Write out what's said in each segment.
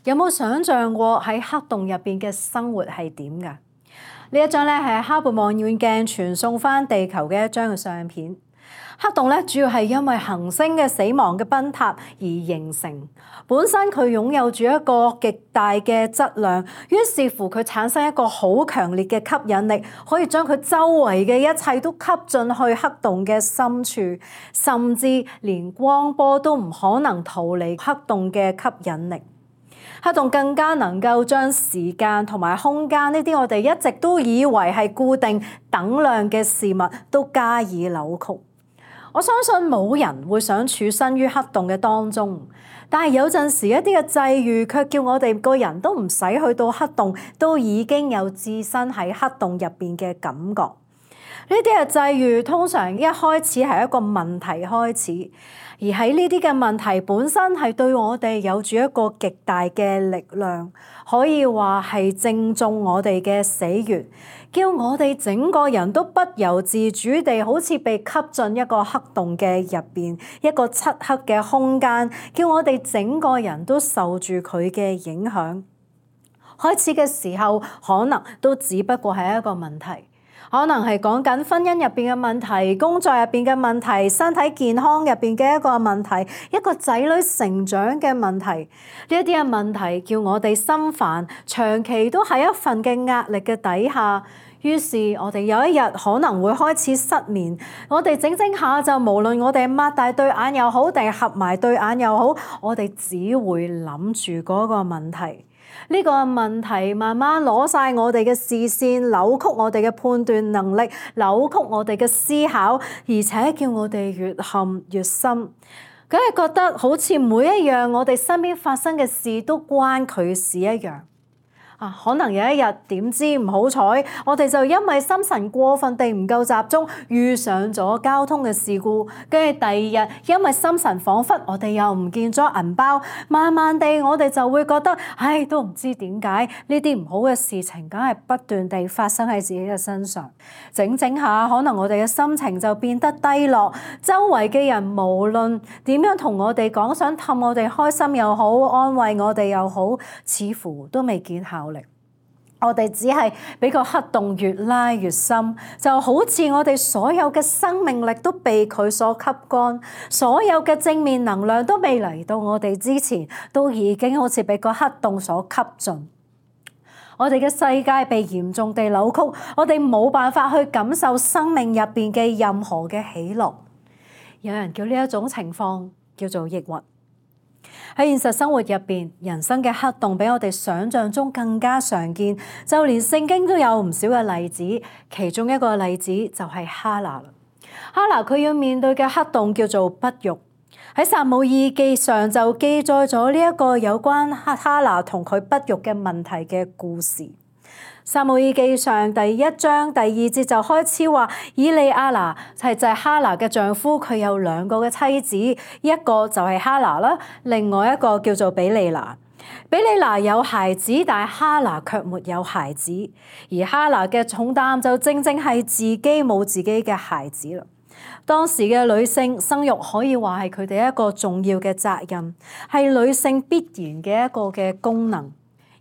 有冇想象過喺黑洞入邊嘅生活係點㗎？呢一張咧係哈勃望遠鏡傳送翻地球嘅一張嘅相片。黑洞咧主要係因為恆星嘅死亡嘅崩塌而形成，本身佢擁有住一個極大嘅質量，於是乎佢產生一個好強烈嘅吸引力，可以將佢周圍嘅一切都吸進去黑洞嘅深處，甚至連光波都唔可能逃離黑洞嘅吸引力。黑洞更加能夠將時間同埋空間呢啲我哋一直都以為係固定等量嘅事物都加以扭曲。我相信冇人會想處身於黑洞嘅當中，但係有陣時一啲嘅際遇卻叫我哋個人都唔使去到黑洞，都已經有置身喺黑洞入邊嘅感覺。呢啲嘅際遇通常一開始係一個問題開始，而喺呢啲嘅問題本身係對我哋有住一個極大嘅力量，可以話係正中我哋嘅死穴，叫我哋整個人都不由自主地好似被吸進一個黑洞嘅入邊，一個漆黑嘅空間，叫我哋整個人都受住佢嘅影響。開始嘅時候可能都只不過係一個問題。可能係講緊婚姻入邊嘅問題、工作入邊嘅問題、身體健康入邊嘅一個問題、一個仔女成長嘅問題。呢一啲嘅問題叫我哋心煩，長期都喺一份嘅壓力嘅底下。於是我哋有一日可能會開始失眠，我哋整下就無論我哋擘大對眼又好，定係合埋對眼又好，我哋只會諗住嗰個問題。呢個問題慢慢攞晒我哋嘅視線，扭曲我哋嘅判斷能力，扭曲我哋嘅思考，而且叫我哋越陷越深。梗係覺得好似每一樣我哋身邊發生嘅事都關佢事一樣。可能有一日點知唔好彩，我哋就因為心神過分地唔夠集中，遇上咗交通嘅事故。跟住第二日因為心神恍惚，我哋又唔見咗銀包。慢慢地我哋就會覺得，都唔知點解呢啲唔好嘅事情梗係不斷地發生喺自己嘅身上。整下可能我哋嘅心情就變得低落，周圍嘅人無論點樣同我哋講，想氹我哋開心又好，安慰我哋又好，似乎都未見效。我哋只係俾個黑洞越拉越深，就好似我哋所有嘅生命力都被佢所吸乾，所有嘅正面能量都未嚟到我哋之前，都已經好似俾個黑洞所吸盡。我哋嘅世界被嚴重地扭曲，我哋冇辦法去感受生命入邊嘅任何嘅喜樂。有人叫呢一種情況叫做抑鬱。喺現實生活入邊，人生嘅黑洞比我哋想象中更加常見，就連聖經都有唔少嘅例子。其中一個例子就係哈拿啦。哈拿佢要面對嘅黑洞叫做不育。喺撒母耳記上就記載咗呢一個有關哈拿同佢不育嘅問題嘅故事。撒母耳記上第1章第2節就開始話，以利亞拿就係哈拿嘅丈夫，佢有2個嘅妻子，一個就係哈拿啦，另外一個叫做比利拿。比利拿有孩子，但係哈拿卻沒有孩子，而哈拿嘅重擔就正正係自己冇自己嘅孩子啦。當時嘅女性生育可以話係佢哋一個重要嘅責任，係女性必然嘅一個嘅功能。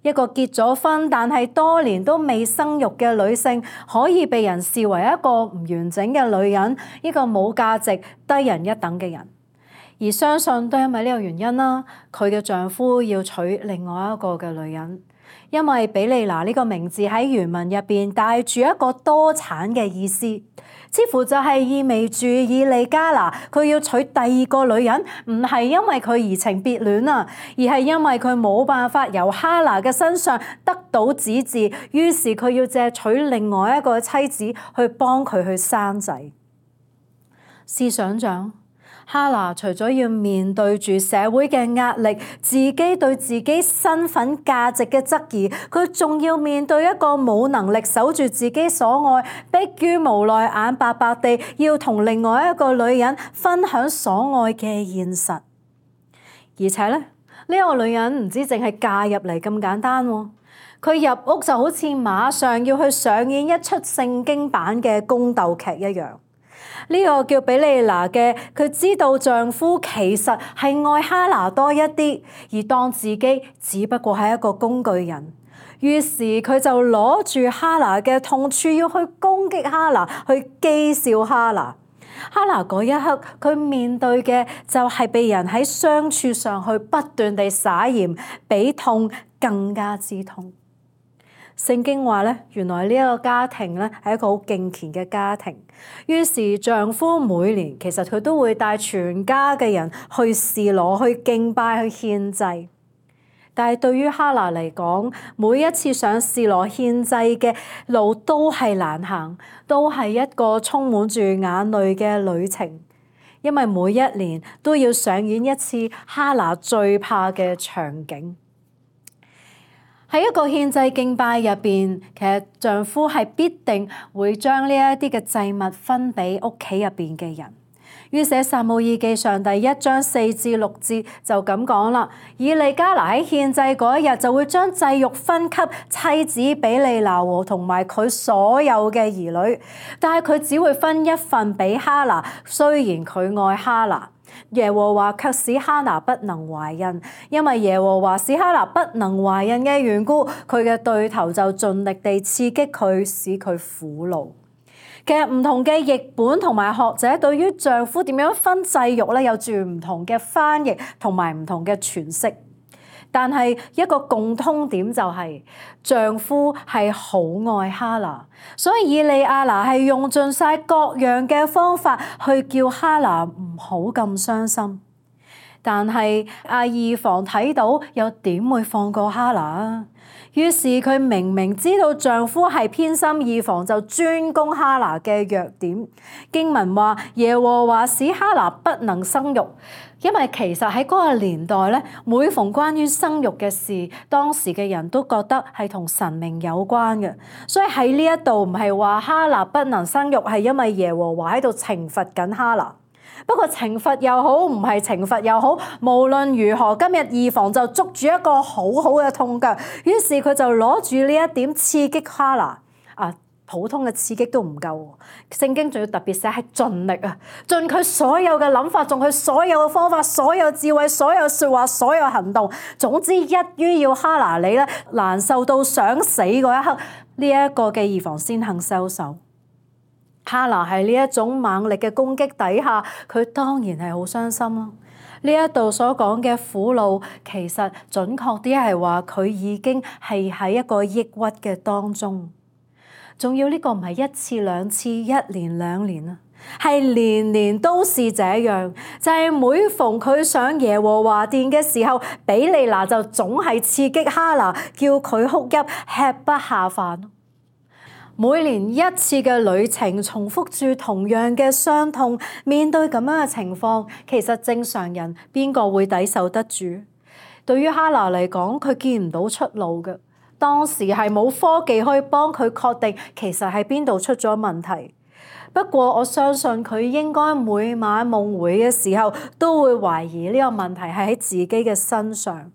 一個結咗婚但係多年都未生育嘅女性，可以被人視為一個唔完整嘅女人，一個冇價值、低人一等嘅人。而相信都因為呢個原因啦，佢嘅丈夫要娶另外一個嘅女人。因為比利拿呢個名字喺原文入邊帶住一個多產嘅意思，似乎就係意味住以利加拿佢要娶第2個女人，唔係因為佢移情別戀啊，而係因為佢冇辦法由哈拿嘅身上得到子嗣，於是佢要借娶另外一個妻子去幫佢去生仔。試想像，哈拿除咗要面對住社會嘅壓力，自己對自己身份價值嘅質疑，佢仲要面對一個冇能力守住自己所愛，迫於無奈眼白白地要同另外一個女人分享所愛嘅現實。而且呢個女人唔止淨係嫁入嚟咁簡單喎，佢入屋就好似馬上要去上演一出聖經版嘅宮鬥劇一樣。呢個叫比利拿嘅，佢知道丈夫其實係愛哈拿多一啲，而當自己只不過係一個工具人。於是佢就攞住哈拿嘅痛處要去攻擊哈拿，去譏笑哈拿。哈拿嗰一刻，佢面對嘅就係被人喺傷處上去不斷地撒鹽，比痛更加之痛。聖經話咧，原來呢一個家庭咧係一個好敬虔嘅家庭。於是丈夫每年其實佢都會帶全家嘅人去示羅、去敬拜、去獻祭。但係對於哈拿嚟講，每一次上示羅獻祭嘅路都係難行，都係一個充滿住眼淚嘅旅程，因為每一年都要上演一次哈拿最怕嘅場景。喺一個獻祭敬拜入邊，其實丈夫係必定會將呢一啲嘅祭物分俾屋企入邊嘅人。於是撒母耳記上第1章4至6節就咁講啦。以利加拿喺獻祭嗰一日就會將祭肉分給妻子比利拿和同埋佢所有嘅兒女，但係佢只會分一份俾哈拿。雖然佢愛哈拿，耶和華卻使哈拿不能懷孕，因為耶和華使哈拿不能懷孕嘅緣故，佢嘅對頭就盡力地刺激佢，使佢苦惱。其實唔同嘅譯本同埋學者對於丈夫點樣分祭肉咧，有住唔同嘅翻譯同埋唔同嘅詮釋。但係一個共通點就係丈夫係好愛哈拿，所以以利亞拿係用盡晒各樣嘅方法去叫哈拿唔好咁傷心。但係以防睇到又點會放過哈拿啊？於是佢明明知道丈夫係偏心，以防就專攻哈拿嘅弱點。經文話耶和華使哈拿不能生育，因為其實喺嗰個年代咧，每逢關於生育嘅事，當時嘅人都覺得係同神明有關嘅，所以喺呢一度唔係話哈拿不能生育，係因為耶和華喺度懲罰緊哈拿。不過懲罰又好，唔係懲罰又好，無論如何，今日以防就捉住一個好好嘅痛腳，於是佢就攞住呢一點刺激哈拿。普通嘅刺激都唔夠，聖經仲要特別寫係盡力啊，盡佢所有嘅諗法，盡佢所有嘅方法，所有智慧，所有說話，所有行動，總之一於要哈拿你咧難受到想死嗰一刻，呢一個嘅以防先肯收手。哈拿喺呢一種猛力嘅攻擊底下，佢當然係好傷心咯。呢一度所講嘅苦惱，其實準確啲係話佢已經係喺一個抑鬱嘅當中。仲要呢個唔係1次2次1年2年啊，係年年都是這樣。就係每逢佢上耶和華殿嘅時候，比利拿就總係刺激哈拿，叫佢哭泣，吃不下飯。每年1次嘅旅程，重複住同樣嘅傷痛，面對咁樣嘅情況，其實正常人邊個會抵受得住？對於哈拿嚟講，佢見唔到出路嘅。當時係冇科技可以幫佢確定其實喺邊度出咗問題。不過我相信佢應該每晚夢回嘅時候都會懷疑呢個問題係喺自己嘅身上。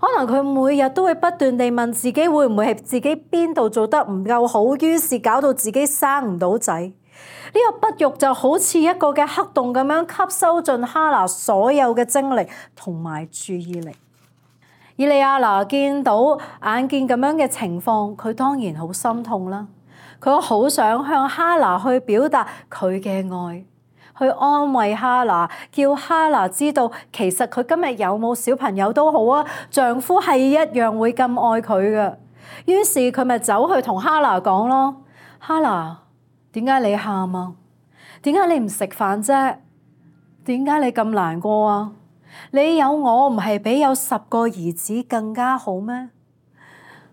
可能佢每日都會不斷地問自己會唔會係自己邊度做得唔夠好，於是搞到自己生唔到仔。呢個不育就好似一個嘅黑洞咁樣吸收盡哈拿所有嘅精力同埋注意力。以利亞拿見到眼見咁樣嘅情況，佢當然好心痛啦。佢好想向哈拿去表達佢嘅愛，去安慰哈拿，叫哈拿知道其實佢今日有冇小朋友都好啊，丈夫係一樣會咁愛佢嘅。於是佢咪走去同哈拿講咯：哈拿，點解你喊啊？點解你唔食飯啫？點解你咁難過啊？你有我唔係比有10個兒子更加好咩？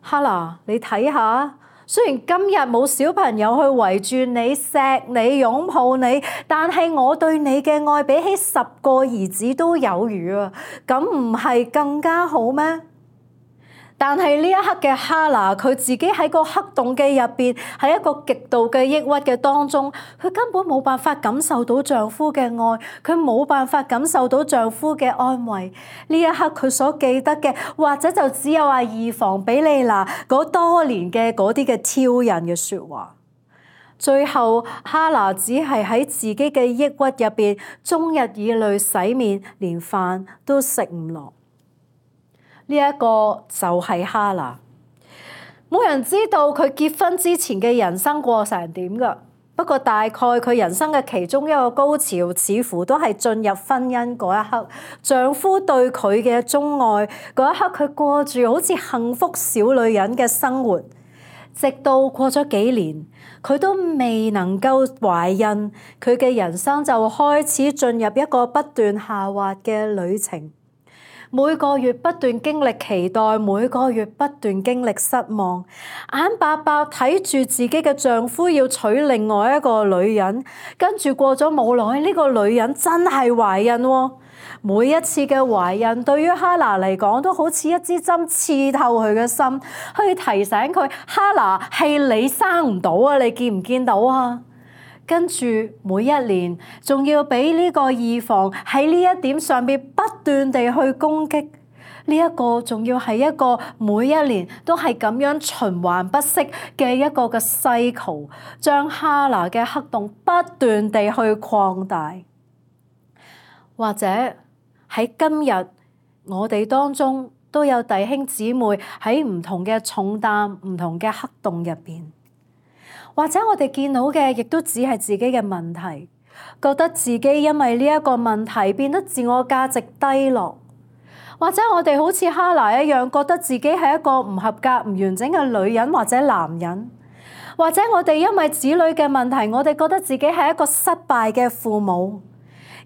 哈拿，你睇下，雖然今日冇小朋友去圍住你、錫你、擁抱你，但係我對你嘅愛比起10個兒子都有餘啊！咁唔係更加好咩？但係呢一刻嘅哈拿，佢自己喺個黑洞嘅入邊，喺一個極度嘅抑鬱嘅當中，佢根本冇辦法感受到丈夫嘅愛，佢冇辦法感受到丈夫嘅安慰。呢一刻佢所記得嘅，或者就只有以防比利拿嗰多年嘅嗰啲嘅挑釁嘅說話。最後哈拿只係喺自己嘅抑鬱入邊，終日以淚洗面，連飯都食唔落。呢一個就係哈拿。冇人知道佢結婚之前嘅人生過成點㗎。不過大概佢人生嘅其中一個高潮，似乎都係進入婚姻嗰一刻，丈夫對佢嘅鍾愛嗰一刻，佢過住好似幸福小女人嘅生活。直到過咗幾年，佢都未能夠懷孕，佢嘅人生就開始進入一個不斷下滑嘅旅程。每個月不斷經歷期待，每個月不斷經歷失望，眼白白睇住自己嘅丈夫要娶另外一個女人，跟住過咗冇耐，呢個女人真係懷孕喎。每一次嘅懷孕對於哈拿嚟講都好似一支針刺透佢嘅心，去提醒佢：哈拿，係你生唔到啊！你見唔見到啊？跟住每一年仲要俾呢個二房喺呢一點上邊不斷地去攻擊，呢一個仲要係一個每一年都係咁樣循環不息嘅一個嘅cycle，將哈拿嘅黑洞不斷地去擴大。或者喺今日我哋當中都有弟兄姊妹喺唔同嘅重擔、唔同嘅黑洞入邊。或者我哋見到嘅亦都只係自己嘅問題，覺得自己因為呢一個問題變得自我價值低落。或者我哋好似哈拿一樣，覺得自己係一個唔合格、唔完整嘅女人或者男人。或者我哋因為子女嘅問題，我哋覺得自己係一個失敗嘅父母。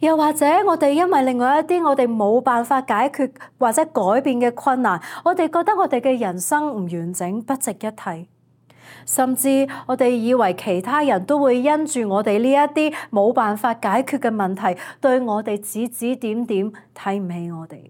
又或者我哋因為另外一啲我哋冇辦法解決或者改變嘅困難，我哋覺得我哋嘅人生唔完整、不值一提。甚至我哋以為其他人都會因住我哋呢一啲冇辦法解決嘅問題，對我哋指指點點，睇唔起我哋。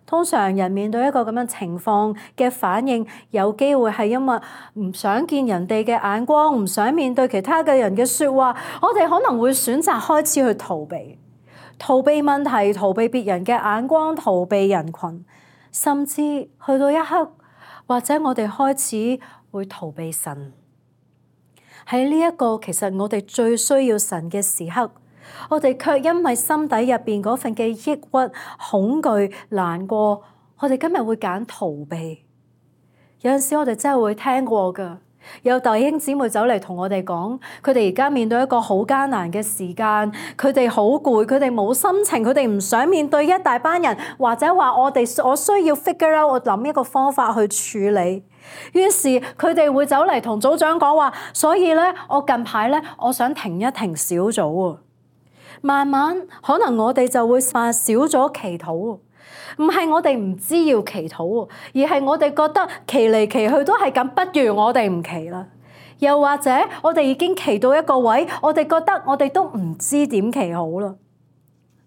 通常人面對一個咁樣情況嘅反應，有機會係因為唔想見人哋嘅眼光，唔想面對其他嘅人嘅說話，我哋可能會選擇開始去逃避問題，逃避別人嘅眼光，逃避人群，甚至去到一刻，或者我哋開始會逃避神。喺呢一個其實我哋最需要神嘅時刻，我哋卻因為心底入邊嗰份嘅抑鬱、恐懼、難過，我哋今日會揀逃避。有陣時我哋真係會聽過㗎，有弟兄姊妹走嚟同我哋講，佢哋而家面對一個好艱難嘅時間，佢哋好攰，佢哋冇心情，佢哋唔想面對一大班人，或者話我需要 figure out，我諗一個方法去處理。於是佢哋會走嚟同組長講話，所以咧，我近排咧，我想停一停小組啊。慢慢可能我哋就會話少咗祈禱，唔係我哋唔知要祈禱，而係我哋覺得祈嚟祈去都係咁，不如我哋唔祈啦。又或者我哋已經祈到一個位，我哋覺得我哋都唔知點祈好啦。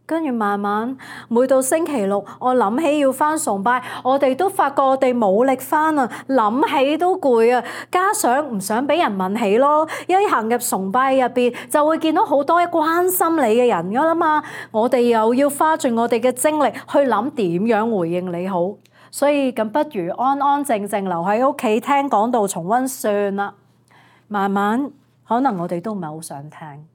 跟住慢慢，每到星期六，我諗起要返崇拜，我哋都發覺我哋冇力返啊，諗起都攰啊，加上唔想俾人問起咯。一行入崇拜入邊，就會見到好多關心你嘅人㗎啦嘛，我哋又要花盡我哋嘅精力去諗點樣回應你好，所以咁不如安安靜靜留喺屋企聽講道重溫算啦。慢慢，可能我哋都唔係好想聽。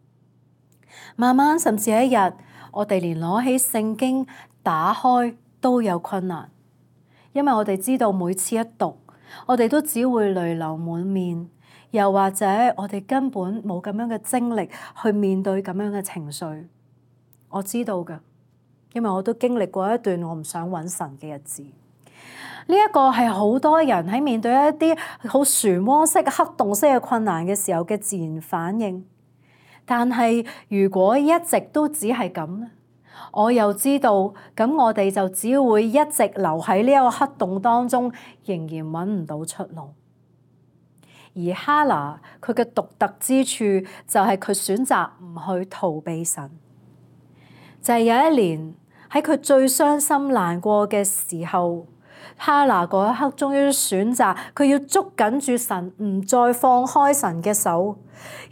慢慢，甚至一日，我哋連攞起聖經打開都有困難，因為我哋知道每次一讀，我哋都只會淚流滿面，又或者我哋根本冇咁樣嘅精力去面對咁樣嘅情緒。我知道㗎，因為我都經歷過一段我唔想揾神嘅日子。呢一個係好多人喺面對一啲好漩渦式、黑洞式嘅困難嘅時候嘅自然反應。但係如果一直都只係咁咧，我又知道咁我哋就只會一直留喺呢一個黑洞當中，仍然揾唔到出路。而哈拿佢嘅獨特之處就係佢選擇唔去逃避神。就係有一年喺佢最傷心難過嘅時候，哈拿嗰一刻終於選擇佢要捉緊住神，唔再放開神嘅手。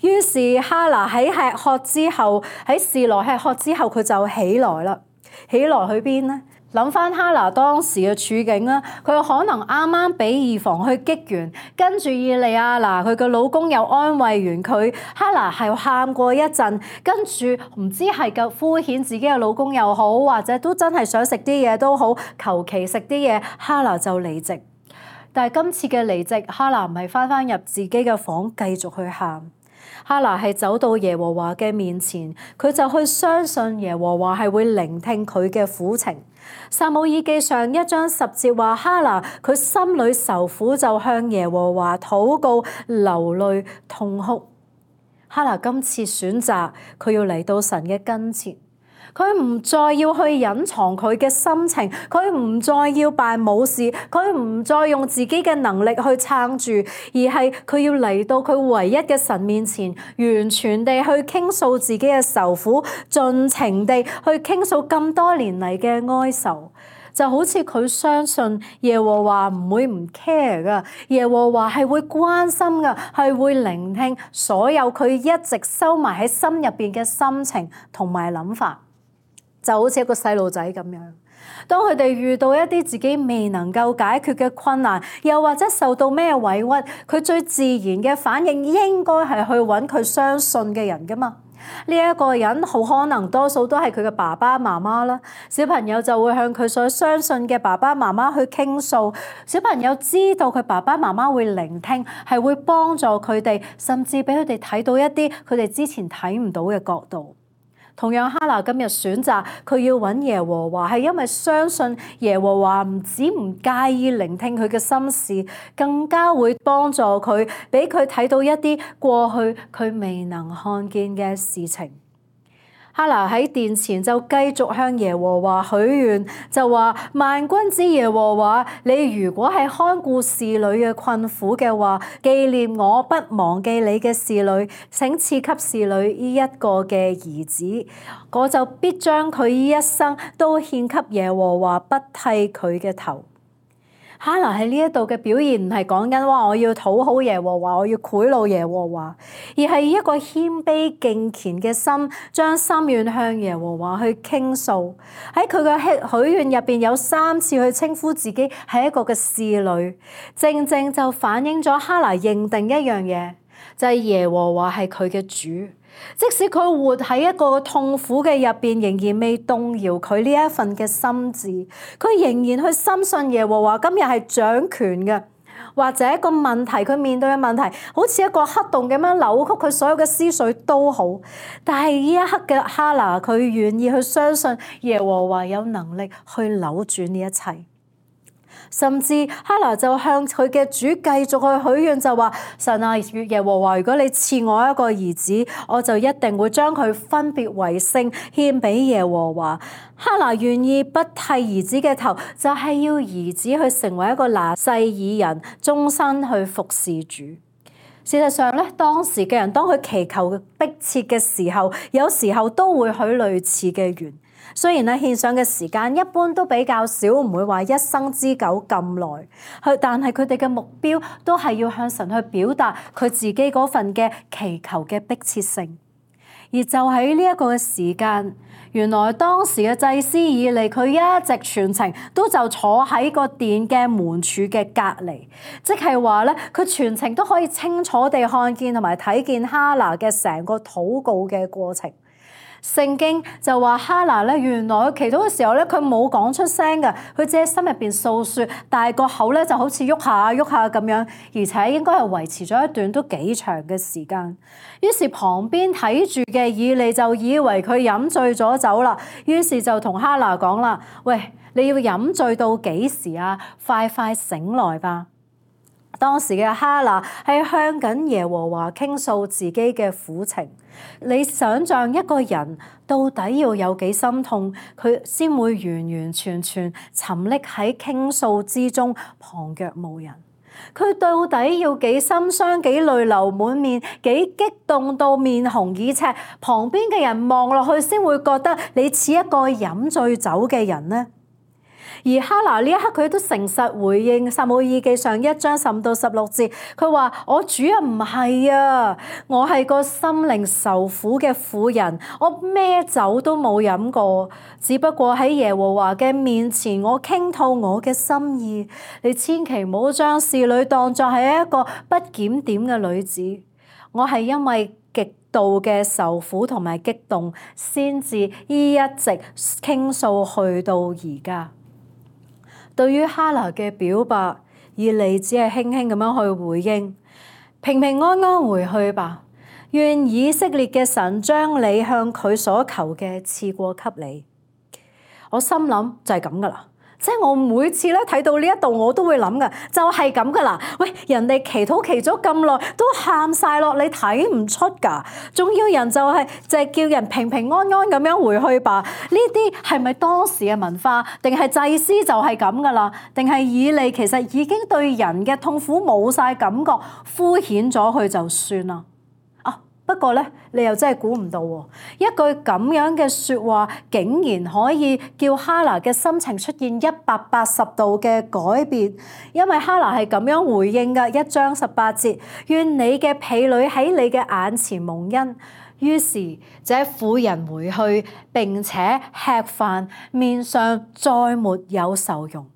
於是哈拿喺吃喝之後，喺示羅吃喝之後，佢就起來啦。起來去邊呢？諗翻哈拿當時嘅處境啦，佢可能啱啱俾以防去擊完，跟住以利亞拿佢嘅老公又安慰完佢，哈拿係喊過一陣，跟住唔知係夠敷衍自己嘅老公又好，或者都真係想食啲嘢都好，求其食啲嘢，哈拿就離席。但係今次嘅離席，哈拿唔係翻入自己嘅房繼續去喊。哈拿係走到耶和華嘅面前，佢就去相信耶和華係會聆聽佢嘅苦情。撒母耳記上1章10節話，哈拿佢心裏受苦，就向耶和華禱告，流淚痛哭。哈拿今次選擇佢要嚟到神嘅跟前。佢唔再要去隱藏佢嘅心情，佢唔再要扮冇事，佢唔再用自己嘅能力去撐住，而係佢要嚟到佢唯一嘅神面前，完全地去傾訴自己嘅愁苦，盡情地去傾訴咁多年嚟嘅哀愁。就好似佢相信耶和華唔會唔 care 噶，耶和華係會關心噶，係會聆聽所有佢一直收埋喺心入邊嘅心情同埋諗法。就好似一個細路仔咁樣，當佢哋遇到一啲自己未能夠解決嘅困難，又或者受到咩委屈，佢最自然嘅反應應該係去揾佢相信嘅人噶嘛。呢一個人好可能多數都係佢嘅爸爸媽媽啦，小朋友就會向佢所相信嘅爸爸媽媽去傾訴，小朋友知道佢爸爸媽媽會聆聽，係會幫助佢哋，甚至俾佢哋睇到一啲佢哋之前睇唔到嘅角度。同樣，哈拿今日選擇佢要揾耶和華，係因為相信耶和華唔止唔介意聆聽佢嘅心事，更加會幫助佢，俾佢睇到一啲過去佢未能看見嘅事情。哈拿喺殿前就繼續向耶和華許願，就話：萬軍之耶和華，你如果係看顧侍女嘅困苦嘅話，紀念我不忘記你嘅侍女，請賜給侍女呢一個嘅兒子，我就必將佢呢一生都獻給耶和華，不剃佢嘅頭。哈拿喺呢一度嘅表現唔係講緊話我要討好耶和華，我要賄賂耶和華，而係一個謙卑敬虔嘅心，將心願向耶和華去傾訴。喺佢嘅許願入邊有3次去稱呼自己係一個嘅侍女，正正就反映咗哈拿認定一樣嘢，就係耶和華係佢嘅主。即使佢活喺一個痛苦嘅入邊，仍然未動搖佢呢一份嘅心志，佢仍然去深信耶和華今日係掌權嘅，或者一個問題佢面對嘅問題，好似一個黑洞咁樣扭曲佢所有嘅思緒都好，但係呢一刻嘅哈拿，佢願意去相信耶和華有能力去扭轉呢一切。甚至哈拿就向佢嘅主繼續去許願，就話：神啊，耶和華，如果你賜我一個兒子，我就一定會將佢分別為聖獻俾耶和華。哈拿願意不剃兒子嘅頭，就係要兒子去成為一個拿細耳人，終身去服侍主。事實上咧，當時嘅人當佢祈求迫切嘅時候，有時候都會許類似嘅願。雖然咧獻上嘅時間一般都比較少，唔會話一生之久咁耐，但係佢哋嘅目標都係要向神去表達佢自己嗰份嘅祈求嘅迫切性。而就喺呢一個嘅時間，原來當時嘅祭司以利，佢一直全程都就坐喺個殿嘅門柱嘅隔離，即係話咧，佢全程都可以清楚地看見同埋睇見哈拿嘅成個禱告嘅過程。聖經就話哈拿咧，原來佢祈禱嘅時候咧，佢冇講出聲嘅，佢只喺心入邊訴說，但係個口咧就好似喐下喐下咁樣，而且應該係維持咗一段都幾長嘅時間。於是旁邊睇住嘅以利就以為佢飲醉咗酒啦，於是就同哈拿講啦：喂，你要飲醉到幾時啊？快快醒來吧！當時嘅哈拿係向緊耶和華傾訴自己嘅苦情。你想象一個人到底要有幾心痛，佢先會完完全全沉溺喺傾訴之中，旁若無人？佢到底要幾心傷，幾淚流滿面，幾激動到面紅耳赤，旁邊嘅人望落去先會覺得你似一個飲醉酒嘅人呢？而哈拿呢一刻佢都誠實回應撒母耳記上1章15到16節，佢話：我主啊，唔係啊，我係個心靈受苦嘅婦人，我咩酒都冇飲過，只不過喺耶和華嘅面前，我傾吐我嘅心意。你千祈唔好將侍女當作係一個不檢點嘅女子。我係因為極度嘅受苦同埋激動，先至一直傾訴去到而家。對於哈拿嘅表白，以利只係輕輕咁樣去回應：平平安安回去吧，願以色列嘅神將你向佢所求嘅賜過給你。我心諗就係咁噶啦。即係我每次咧睇到呢一度，我都會諗噶，就係咁噶啦。喂，人哋祈禱祈咗咁耐，都喊晒落，你睇唔出噶？仲要人就係叫人平平安安咁樣回去吧？呢啲係咪當時嘅文化，定係祭司就係咁噶啦？定係以利其實已經對人嘅痛苦冇晒感覺，敷衍咗佢就算啦？不過咧，你又真係估唔到喎，一句咁樣嘅説話，竟然可以叫哈拿嘅心情出現180度嘅改變。因為哈拿係咁樣回應嘅，1章18節，願你嘅婢女喺你嘅眼前蒙恩。於是這婦人回去，並且吃飯，面上再沒有愁容。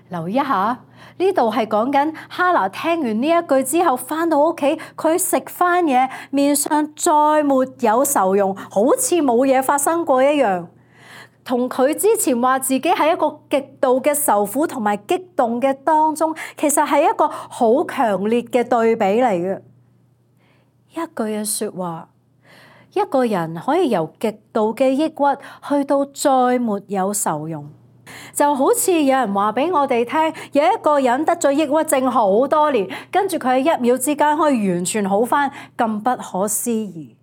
留意一下，呢度係講緊哈拿聽完呢一句之後，返到屋企，佢食返嘢，面上再沒有愁容，好似冇嘢發生過一樣。同佢之前話自己係一個極度嘅受苦同埋激動嘅當中，其實係一個好強烈嘅對比嚟嘅。一句嘅説話，一個人可以由極度嘅抑鬱去到再沒有愁容。就好似有人話俾我哋聽，有一個人得咗抑鬱症好多年，跟住佢喺1秒之間可以完全好返，咁不可思議。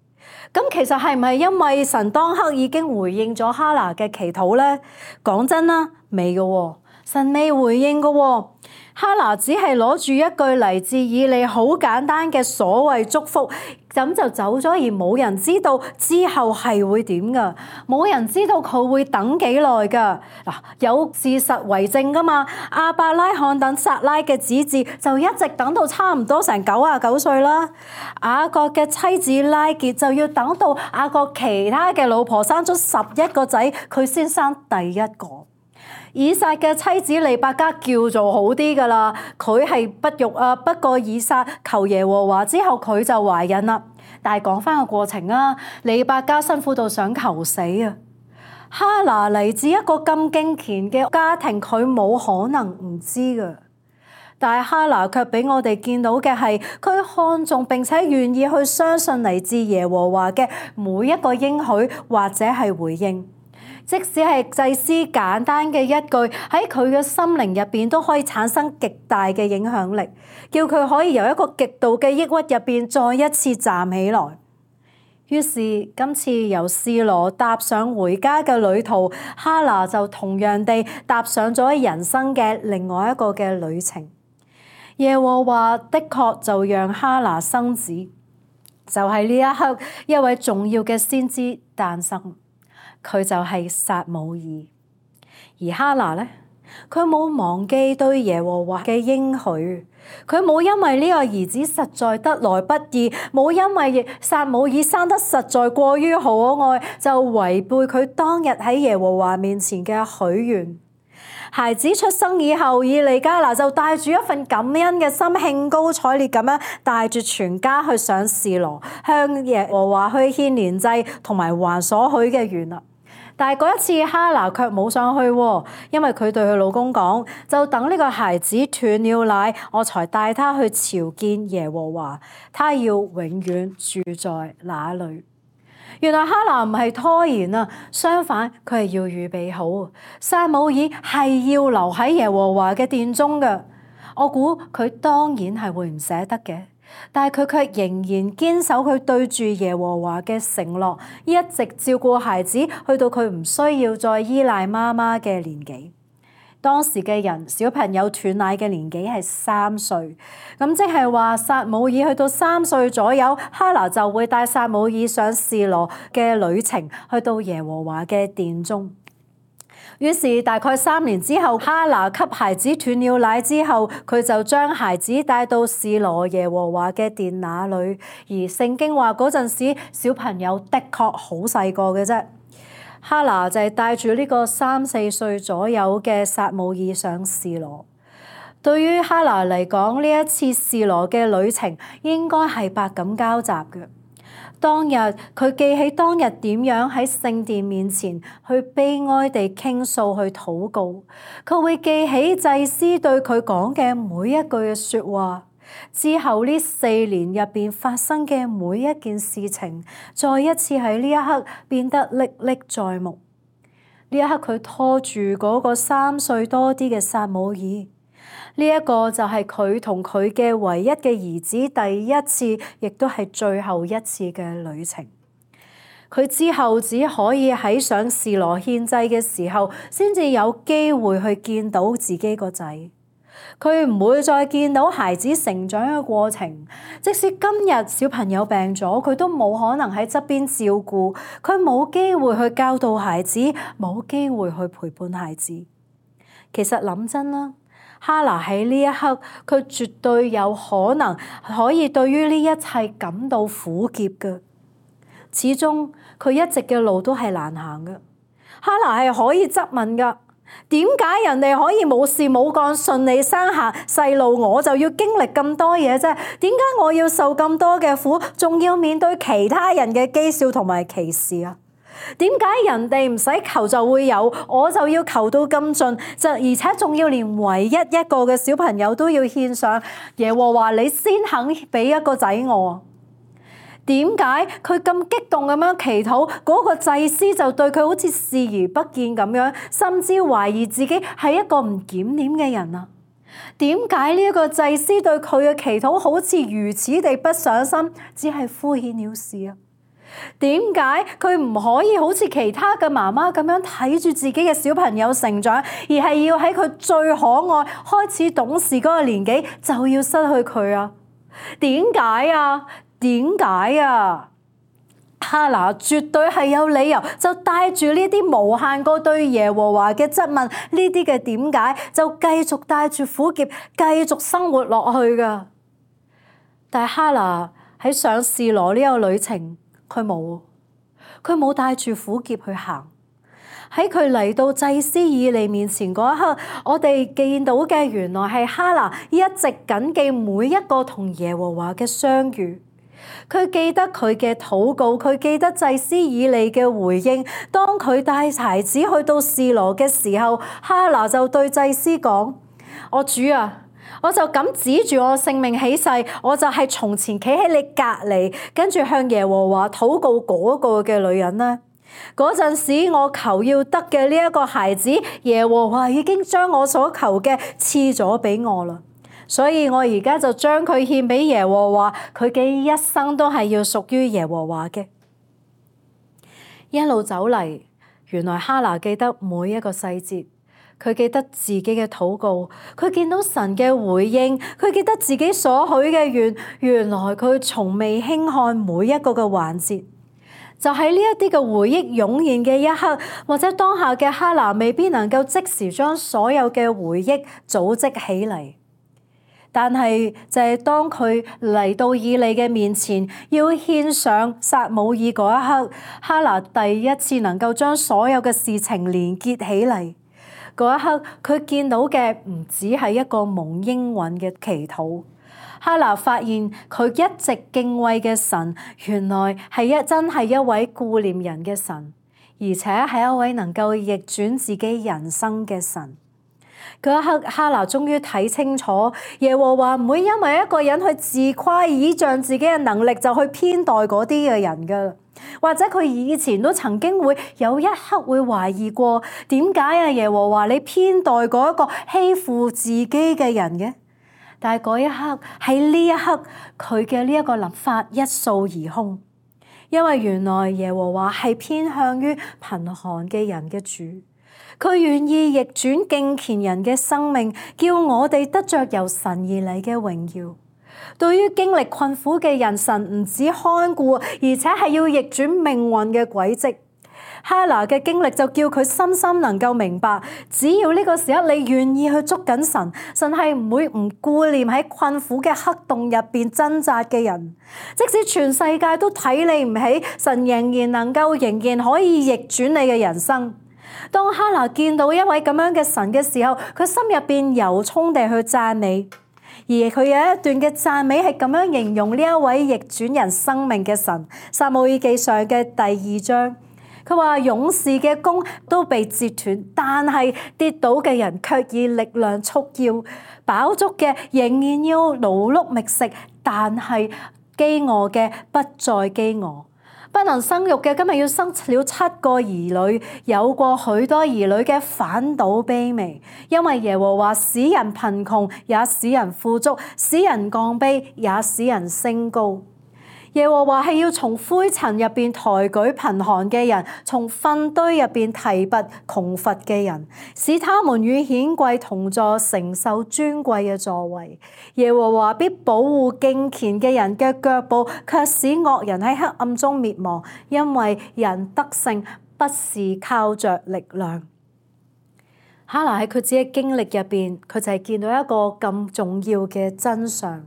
咁其實係唔係因為神當刻已經回應咗哈拿嘅祈禱呢？講真啦，未嘅喎，神未回應嘅喎。哈拿只係攞住一句嚟自以利好簡單嘅所謂祝福，咁就走咗，而冇人知道之後係會點噶，冇人知道佢會等幾耐噶。嗱，有事實為證噶嘛，亞伯拉罕等撒拉嘅子嗣就一直等到差唔多成99歲啦。雅各嘅妻子拉結就要等到雅各其他嘅老婆生咗11個仔，佢先生第一個。以撒嘅妻子利百加叫做好啲噶啦，佢係不育啊，不過以撒求耶和華之後佢就懷孕啦。但係講翻個過程啊，利百加辛苦到想求死啊。哈拿嚟自一個咁敬虔嘅家庭，佢冇可能唔知噶。但係哈拿卻俾我哋見到嘅係，佢看重並且願意去相信嚟自耶和華嘅每一個應許或者係回應。即使係祭司簡單嘅一句，喺佢嘅心靈入邊都可以產生極大嘅影響力，叫佢可以由一個極度嘅抑鬱入邊再一次站起來。於是今次由示羅踏上回家嘅旅途，哈拿就同樣地踏上咗人生嘅另外一個嘅旅程。耶和華的確就讓哈拿生子，就係呢一刻一位重要嘅先知誕生。佢就係撒母耳，而哈拿呢，佢冇忘記對耶和華嘅應許，佢冇因為呢個兒子實在得來不易，冇因為撒母耳生得實在過於可愛，就違背佢當日喺耶和華面前嘅許願。孩子出生以後，以利加拿就帶住一份感恩嘅心，興高采烈咁樣帶住全家去上示羅，向耶和華去獻年祭同埋還所許嘅願啦。但係嗰一次哈拿卻冇上去，因為佢對佢老公講，就等呢個孩子斷了奶，我才帶他去朝見耶和華，他要永遠住在那裡。原來哈拿唔係拖延啊，相反佢係要預備好。撒母耳係要留喺耶和華嘅殿中嘅，我估佢當然係會唔捨得嘅，但係佢卻仍然堅守佢對住耶和華嘅承諾，一直照顧孩子，去到佢唔需要再依賴媽媽嘅年紀。當時嘅人，小朋友斷奶嘅年紀係3歲，咁即係話撒母耳去到3歲左右，哈拿就會帶撒母耳上示羅嘅旅程，去到耶和華嘅殿中。於是大概3年之後，哈拿給孩子斷了奶之後，佢就將孩子帶到示羅耶和華嘅殿那裏。而聖經話嗰陣時小朋友的確好細個嘅啫。哈拿就係帶住呢個3、4歲左右嘅撒母耳上示羅。對於哈拿嚟講，呢一次示羅嘅旅程應該係百感交集嘅。當日佢記起當日點樣喺聖殿面前去悲哀地傾訴去禱告，佢會記起祭司對佢講嘅每一句嘅說話。之後呢4年入邊發生嘅每一件事情，再一次喺呢一刻變得歷歷在目。呢一刻佢拖住嗰個3歲多啲嘅撒母耳，呢一個就係佢同佢嘅唯一嘅兒子第一次，亦都係最後一次嘅旅程。佢之後只可以喺上示羅獻祭嘅時候，先至有機會去見到自己個仔。佢唔會再見到孩子成長嘅過程。即使今日小朋友病咗，佢都冇可能喺側邊照顧，佢冇機會去教導孩子，冇機會去陪伴孩子。其實諗真啦，哈拿喺呢一刻，佢絕對有可能可以對於呢一切感到苦澀嘅。始終佢一直嘅路都係難行嘅。哈拿係可以質問㗎。點解人哋可以冇事冇幹順利生下細路，我就要經歷咁多嘢啫？點解我要受咁多嘅苦，仲要面對其他人嘅譏笑同埋歧視啊？點解人哋唔使求就會有，我就要求到咁盡，而且仲要連唯一一個嘅小朋友都要獻上耶和華，你先肯俾一個仔我？點解佢咁激動咁樣祈禱，嗰個祭司就對佢好似視而不見咁樣，甚至懷疑自己係一個唔檢點嘅人啊？點解呢一個祭司對佢嘅祈禱好似如此地不上心，只係敷衍了事啊？點解佢唔可以好似其他嘅媽媽咁樣睇住自己嘅小朋友成長，而係要喺佢最可愛、開始懂事嗰個年紀就要失去佢啊？點解啊？點解啊？哈拿絕對係有理由，就帶住呢啲無限個對耶和華嘅質問，呢啲嘅點解，就繼續帶住苦澀，繼續生活落去㗎。但係哈拿喺上示羅呢個旅程，佢冇帶住苦澀去行。喺佢嚟到祭司以利面前嗰一刻，我哋見到嘅原來係哈拿一直謹記每一個同耶和華嘅相遇。佢記得佢嘅禱告，佢記得祭司以利嘅回應。當佢帶孩子去到示羅嘅時候，哈拿就對祭司講：我主啊，我就咁指住我性命起誓，我就係從前企喺你隔離，跟住向耶和華禱告嗰個嘅女人啦。嗰陣時我求要得嘅呢一個孩子，耶和華已經將我所求嘅賜咗俾我啦。所以我而家就將佢獻俾耶和華，佢嘅一生都係要屬於耶和華嘅。一路走嚟，原來哈拿記得每一個細節，佢記得自己嘅禱告，佢見到神嘅回應，佢記得自己所許嘅願，原來佢從未輕看每一個嘅環節。就喺呢一啲嘅回憶湧現嘅一刻，或者當下嘅哈拿未必能夠即時將所有嘅回憶組織起嚟。但係就係當佢嚟到以利嘅面前，要獻上撒母耳嗰一刻，哈拿第一次能夠將所有嘅事情連結起嚟。嗰一刻，佢見到嘅唔只係一個蒙應允嘅祈禱。哈拿發現佢一直敬畏嘅神，原來真係一位顧念人嘅神，而且係一位能夠逆轉自己人生嘅神。嗰一刻，哈拿終於睇清楚，耶和華唔會因為一個人去自誇倚仗自己嘅能力就去偏待嗰啲嘅人噶，或者佢以前都曾經會有一刻會懷疑過，點解啊耶和華你偏待嗰一個欺負自己嘅人嘅？但係嗰一刻，喺呢一刻，佢嘅呢一個諗法一掃而空，因為原來耶和華係偏向於貧寒嘅人嘅主。佢願意逆轉敬虔人嘅生命，叫我哋得着由神而嚟嘅榮耀。對於經歷困苦嘅人，神唔止看顧，而且係要逆轉命運嘅軌跡。哈拿嘅經歷就叫佢深深能夠明白，只要呢個時刻你願意去捉緊神，神係唔會唔顧念喺困苦嘅黑洞入邊掙扎嘅人。即使全世界都睇你唔起，神仍然可以逆轉你嘅人生。當哈拿見到一位咁樣嘅神嘅時候，佢心入邊由衷地去讚美。而佢有一段嘅讚美係咁樣形容呢一位逆轉人生命嘅神。撒母耳記上嘅第2章，佢話勇士嘅弓都被折斷，但係跌倒嘅人卻以力量束腰，飽足嘅仍然要勞碌覓食，但係飢餓嘅不再飢餓。不能生育嘅今日要生了7個兒女，有過許多兒女嘅反倒卑微，因為耶和華使人貧窮，也使人富足；使人降卑，也使人升高。耶和華係要從灰塵入邊抬舉貧寒嘅人，從糞堆入邊提拔窮乏嘅人，使他們與顯貴同坐，承受尊貴嘅座位。耶和華必保護敬虔嘅人嘅腳步，卻使惡人喺黑暗中滅亡，因為人得勝不是靠着力量。哈拿喺佢自己嘅經歷入邊，佢就係見到一個咁重要嘅真相。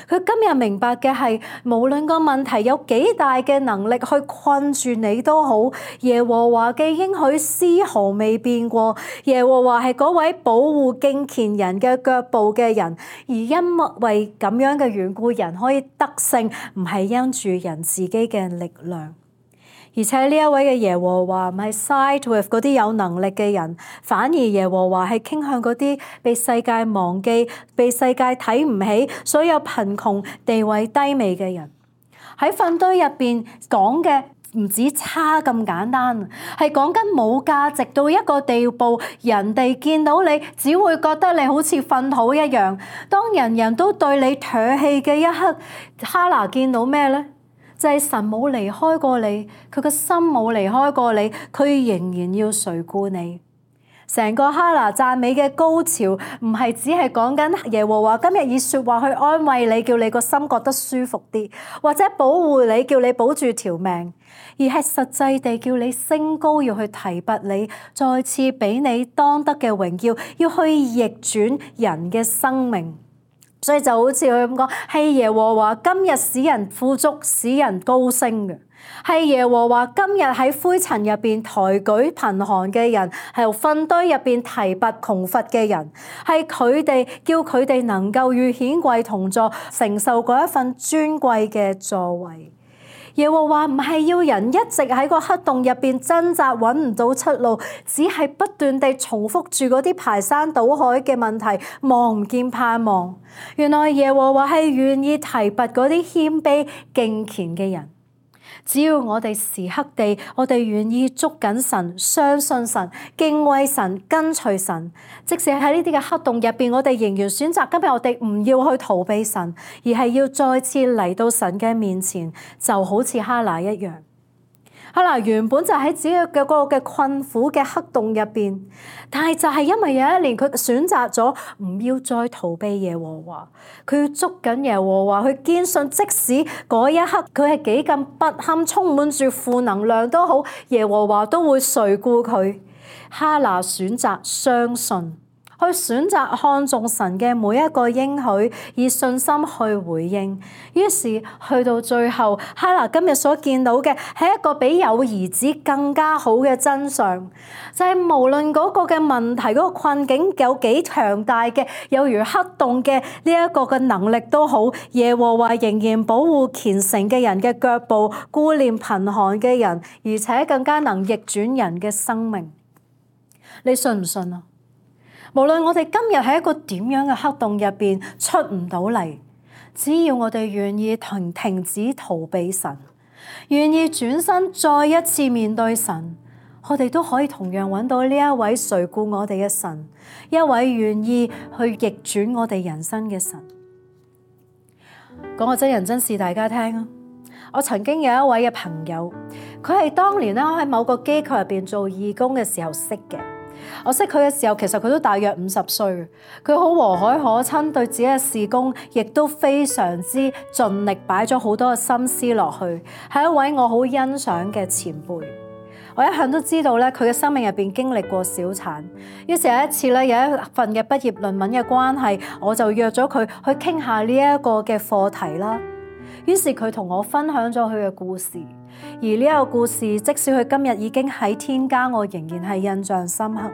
佢今日明白嘅係，無論個問題有幾大嘅能力去困住你都好，耶和華嘅應許絲毫未變過。耶和華係嗰位保護敬虔人嘅腳步嘅人，而因為咁樣嘅緣故，人可以得勝，唔係因住人自己嘅力量。而且呢一位嘅耶和華唔係 side with 嗰啲有能力嘅人，反而耶和華係傾向嗰啲被世界忘記、被世界睇唔起、所有貧窮、地位低微嘅人。喺糞堆入邊講嘅唔止差咁簡單，係講緊冇價值到一個地步，人哋見到你只會覺得你好似糞土一樣。當人人都對你唾棄嘅一刻，哈拿見到咩呢？就係神冇離開過你，佢個心冇離開過你，佢仍然要垂顧你。成個哈拿讚美嘅高潮，唔係只係講緊耶和華今日以說話去安慰你，叫你個心覺得舒服啲，或者保護你，叫你保住條命，而係實際地叫你升高，要去提拔你，再次俾你當得嘅榮耀，要去逆轉人嘅生命。所以就好似佢咁講，係耶和華今日使人富足，使人高升嘅；係耶和華今日喺灰塵入邊抬舉貧寒嘅人，係由糞堆入邊提拔窮乏嘅人，係佢哋叫佢哋能夠與顯貴同坐，承受嗰一份尊貴嘅座位。耶和華唔係要人一直喺個黑洞入邊掙扎揾唔到出路，只係不斷地重複住嗰啲排山倒海嘅問題，望唔見盼望。原來耶和華係願意提拔嗰啲謙卑敬虔嘅人。只要我哋時刻地，我哋願意捉緊神、相信神、敬畏神、跟隨神，即使喺呢啲嘅黑洞入邊，我哋仍然選擇今日我哋唔要去逃避神，而係要再次嚟到神嘅面前，就好似哈拿一樣。哈拿原本就喺自己嘅嗰個嘅困苦嘅黑洞入邊，但係就係因為有一年佢選擇咗唔要再逃避耶和華，佢要捉緊耶和華，去堅信即使嗰一刻佢係幾咁不堪，充滿住負能量都好，耶和華都會垂顧佢。哈拿選擇相信，去選擇看重神嘅每一個應許，以信心去回應。於是去到最後，哈拿今日所見到嘅係一個比有兒子更加好嘅真相，就係無論嗰個嘅問題、嗰個困境有幾強大嘅，有如黑洞嘅呢一個嘅能力都好，耶和華仍然保護虔誠嘅人嘅腳步，顧念貧寒嘅人，而且更加能逆轉人嘅生命。你信唔信啊？無論我哋今日喺一個點樣嘅黑洞入邊出唔到嚟，只要我哋願意停止逃避神，願意轉身再一次面對神，我哋都可以同樣揾到呢一位垂顧我哋嘅神，一位願意去逆轉我哋人生嘅神。講個真人真事大家聽啊！我曾經有一位嘅朋友，佢係當年喺某個機構入邊做義工嘅時候識嘅。我識佢嘅時候，其實佢都大約50歲，佢好和藹可親，對自己嘅事工亦都非常之盡力，擺咗好多嘅心思落去，係一位我好欣賞嘅前輩。我一向都知道咧，佢嘅生命入邊經歷過小產。於是有一次咧，有一份嘅畢業論文嘅關係，我就約咗佢去傾下呢一個嘅課題啦。於是佢同我分享咗佢嘅故事，而呢一個故事，即使佢今日已經喺天家，我仍然係印象深刻。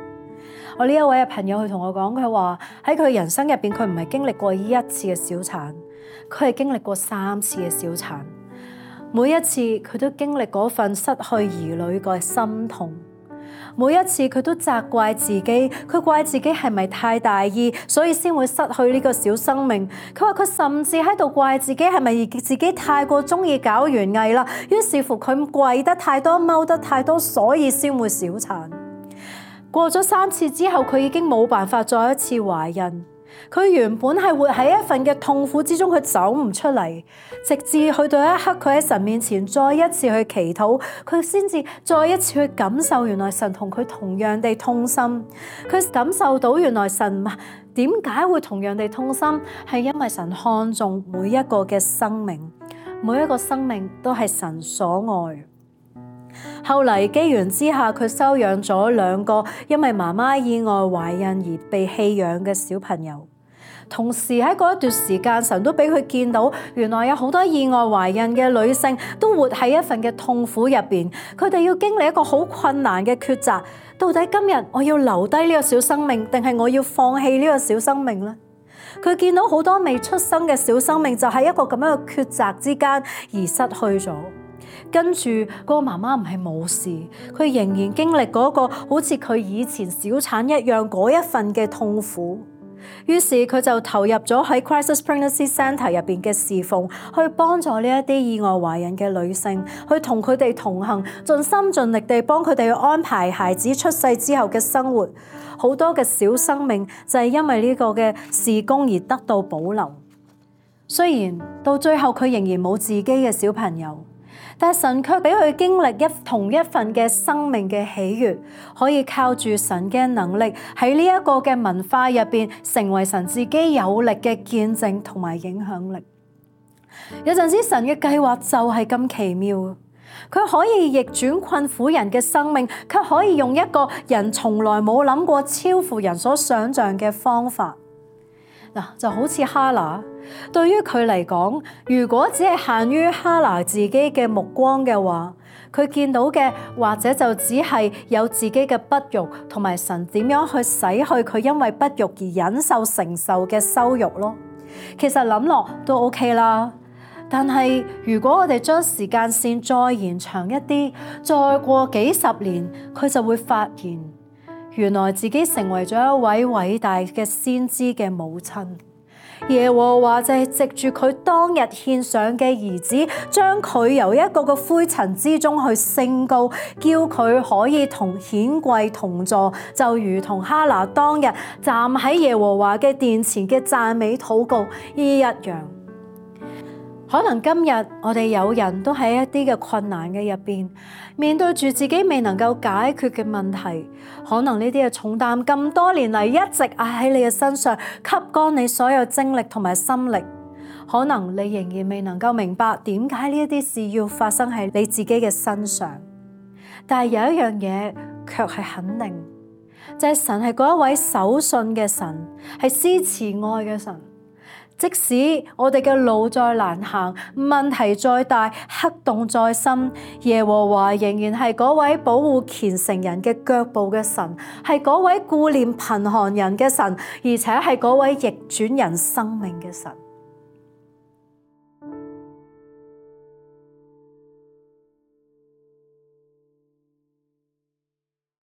我呢一位嘅朋友，佢同我講，佢話喺佢人生入邊，佢唔係經歷過一次嘅小產，佢係經歷過3次嘅小產。每一次佢都經歷嗰份失去兒女嘅心痛，每一次佢都責怪自己，佢怪自己係咪太大意，所以先會失去呢個小生命。佢話佢甚至喺度怪自己係咪自己太過中意搞園藝啦，於是乎佢跪得太多，踎得太多，所以先會小產。過咗3次之後，佢已經冇辦法再一次懷孕。佢原本係活喺一份嘅痛苦之中，佢走唔出嚟，直至去到一刻，佢喺神面前再一次去祈禱，佢先至再一次去感受原來神同佢同樣地痛心。佢感受到原來神點解會同樣地痛心，係因為神看重每一個嘅生命，每一個生命都係神所愛。後嚟機緣之下，佢收養咗2個因為媽媽意外懷孕而被棄養嘅小朋友。同時喺嗰一段時間，神都俾佢見到，原來有好多意外懷孕嘅女性都活喺一份嘅痛苦入邊，佢哋要經歷一個好困難嘅抉擇。到底今日我要留低呢個小生命，定係我要放棄呢個小生命呢？佢見到好多未出生嘅小生命，就喺一個咁樣嘅抉擇之間而失去咗。跟住嗰個媽媽唔係冇事，佢仍然經歷嗰個好似佢以前小產一樣嗰一份嘅痛苦。於是佢就投入咗喺 Crisis Pregnancy Center 入邊嘅侍奉，去幫助呢一啲意外懷孕嘅女性，去同佢哋同行，盡心盡力地幫佢哋去安排孩子出世之後嘅生活。好多嘅小生命就係因為呢個嘅事工而得到保留。雖然到最後佢仍然冇自己嘅小朋友，但係神卻俾佢經歷同一份嘅生命嘅喜悅，可以靠住神嘅能力喺呢一個嘅文化入邊，成為神自己有力嘅見證同埋影響力。有陣時神嘅計劃就係咁奇妙，佢可以逆轉困苦人嘅生命，卻可以用一個人從來冇諗過超乎人所想象嘅方法。就好似哈拿，對於佢嚟講，如果只係限於哈拿自己嘅目光嘅話，佢見到嘅或者就只係有自己嘅不育，同埋神點樣去洗去佢因為不育而忍受承受嘅羞辱咯。其實諗落都 OK 啦，但係如果我哋將時間線再延長一啲，再過幾十年，佢就會發現，原來自己成為咗一位偉大嘅先知嘅母親。耶和華就係藉住佢當日獻上嘅兒子，將佢由一個嘅灰塵之中去升高，叫佢可以同顯貴同坐，就如同哈拿當日站喺耶和華嘅殿前嘅讚美禱告一樣。可能今日我哋有人都喺一啲嘅困難嘅入邊，面對住自己未能夠解決嘅問題，可能呢啲嘅重擔咁多年嚟一直壓喺你嘅身上，吸乾你所有精力同埋心力。可能你仍然未能夠明白點解呢一啲事要發生喺你自己嘅身上，但係有一樣嘢卻係肯定，就係神係嗰一位守信嘅神，係施慈愛嘅神。即使我哋嘅路再難行，問題再大，黑洞再深，耶和華仍然係嗰位保護虔誠人嘅腳步嘅神，係嗰位顧念貧寒人嘅神，而且係嗰位逆轉人生命嘅神。